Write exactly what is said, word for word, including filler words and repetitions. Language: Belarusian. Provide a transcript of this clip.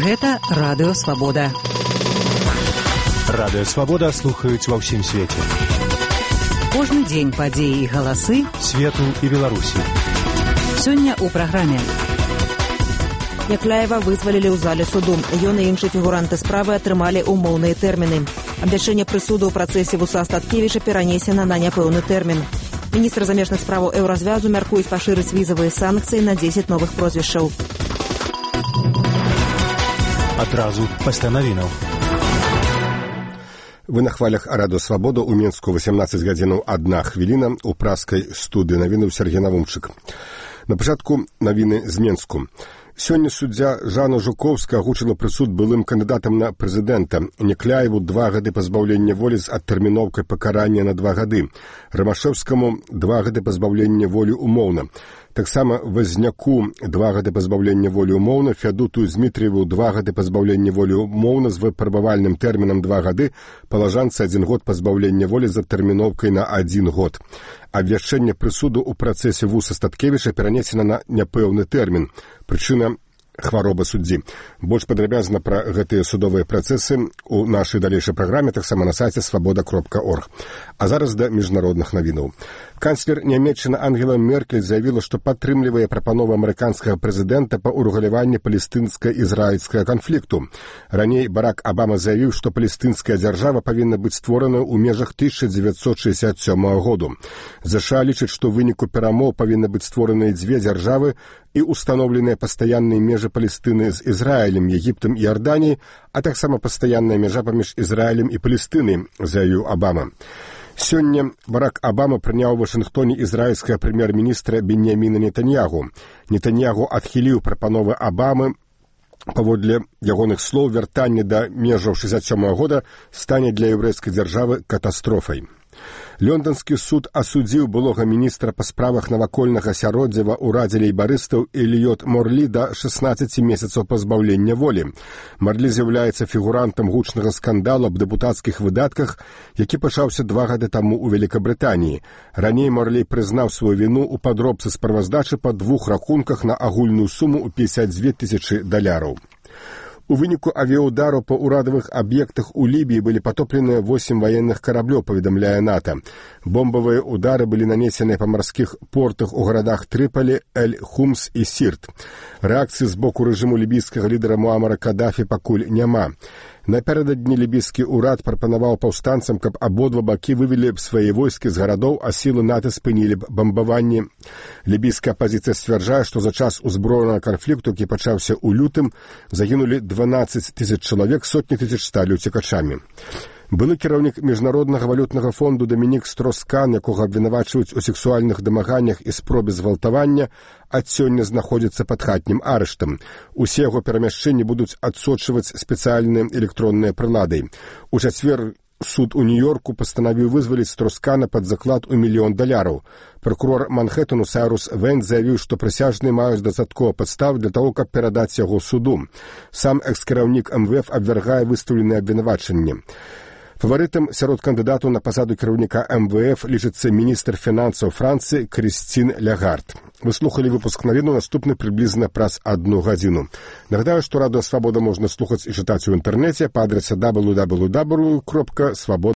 Гэта Радыё Свабода. Радыё Свабода слухаюць ва ўсім свеце. Кожны дзень падзеі і галасы свету і Беларусі. Сёння ў праграме. Някляева вызвалілі ў зале суду. Ён і іншыя фігуранты справы атрымалі умоўныя тэрміны. Абвяшчэнне прысуду ў працэсе Вуса Астаткевіча перанесена на няпэўны тэрмін. Міністр замежных справаў Еўразвязу мяркуюць пашырыць візавыя санкцыі на дзесяць новых прозвішчаў. Адразу пасля навінаў. Вы на хвалях Радыё Свабода ў Мінску васямнаццаць гадзінаў адна хвіліна ў праскай студыі навіны Сергей Навумчык. На пачатку навіны з Мінску. Сёння суддзя Жанна Жуковская агучыла прысуд былым кандыдатам на прэзідэнта. Някляеву два гады пазбаўлення волі з адтэрміноўкай пакарання на два гады. Рамашэўскаму два гады пазбаўлення волі умоўна. Таксама Вазняку два гады пазбаўлення волі умоўна, Фядуту Змітрыеву два гады пазбаўлення волі умоўна з выпрабавальным тэрмінам два гады, палажанцы адзін год пазбаўлення волі з адтэрміноўкай на адзін год. Абвяшчэнне прысуду ў працэсе Вуса Астаткевіча перанесена на няпэўны тэрмін. Прычына хвароба суддзі. Больш падрабязна пра гэтыя судовыя працэсы ў нашай далейшай праграме, таксама на сайце свабода кропка орг. А зараз да міжнародных навінаў. Канцлер Нямецчыны Ангела Меркель заявіла, што падтрымлівае прапанову амерыканскага прэзідэнта па ўрэгуляванні палестынска-ізраільскага канфлікту. Раней Барак Абама заявіў, што палестынская дзяржава павінна быць створана ў межах тысяча дзевяцьсот шэсцьдзесят сёмага году. ЗША лічыць, што ў выніку перамоў павінны быць створаныя дзве дзяржавы і установленыя пастаянныя межы Палестыны з Ізраілем, Егіптам і Іорданіяй, а таксама пастаянная мяжа паміж Ізраілем і Палестынай, заявіў Абама. Сёння Барак Абама прыняў у Вашынгтоне ізраільскага прэм'ер-міністра Беньяміна Нетаньягу. Нетаньягу адхіліў прапановы Абамы. Паводле ягоных слоў, вяртанне да межаў шэсцьдесят сёмага года стане для еўрэйскай дзяржавы катастрофай. Лонданскі суд асудзіў былога міністра па справах навакольнага асяроддзя ва ўрадзе лейбарыстаў Эліёт Морлі да шаснаццаці месяцаў пазбаўлення волі. Морлі з'яўляецца фігурантам гучнага скандалу аб дэпутацкіх выдатках, які пачаўся два гады таму ў Вялікабрытаніі. Раней Морлі прызнаў сваю віну ў падробцы справаздачы па двух рахунках на агульную суму ў пятьдесят две тысячы даляраў. У выніку авіаудару па ўрадавых аб'ектах у Лібіі былі патопленыя восемь ваенных караблёў, паведамляе НАТО. Бомбавыя ўдары былі нанесеныя па марскіх портах у гарадах Трыполі, Эль-Хумс і Сірт. Рэакцыі з боку рэжыму лібійскага лідара Муамара Кадафі пакуль няма. Напярэдадні лібійскі ўрад прапанаваў паўстанцам, каб абодва бакі вывелі б свае войскі з гарадоў, а сілы НАТО спынілі б бамбаванні. Лібійская апазіцыя сцвярджае, што за час узброенага канфлікту, які пачаўся ў лютым, загінулі дванаццаць тысяч чалавек, сотні тысяч сталі ўцекачамі. Былы кіраўнік Міжнароднага валютнага фонду Дамінік Строскан, якога абвінавачваюць у сексуальных дамаганнях і спробе згвалтавання, ад сёння знаходзіцца пад хатнім арыштам. Усе яго перамяшчэнні будуць адсочваць спецыяльныя электронныя прылады. У чацвер суд у Нью-Йорку пастанавіў вызваліць Строскана пад заклад у мільён даляраў. Пракурор Манхэттану Сайрус Вэнт заявіў, што прысяжныя маюць дастаткова падстав для таго, каб перадаць яго суду. Сам экс-кіраўнік эм вэ эф абвяргае выстаўленыя абвінавачанні. Фаварытам сярод кандыдатаў на пасаду кіраўніка эм вэ эф лічыцца міністр фінансаў Францыі Крыстін Лягард. Вы слухалі выпуск навіну, наступны прыблізна праз адну гадзіну. Нагадаю, што Радыё Свабода можна слухаць і чытаць у інтэрнэце па адрасе дабл ю дабл ю дабл ю кропка свабода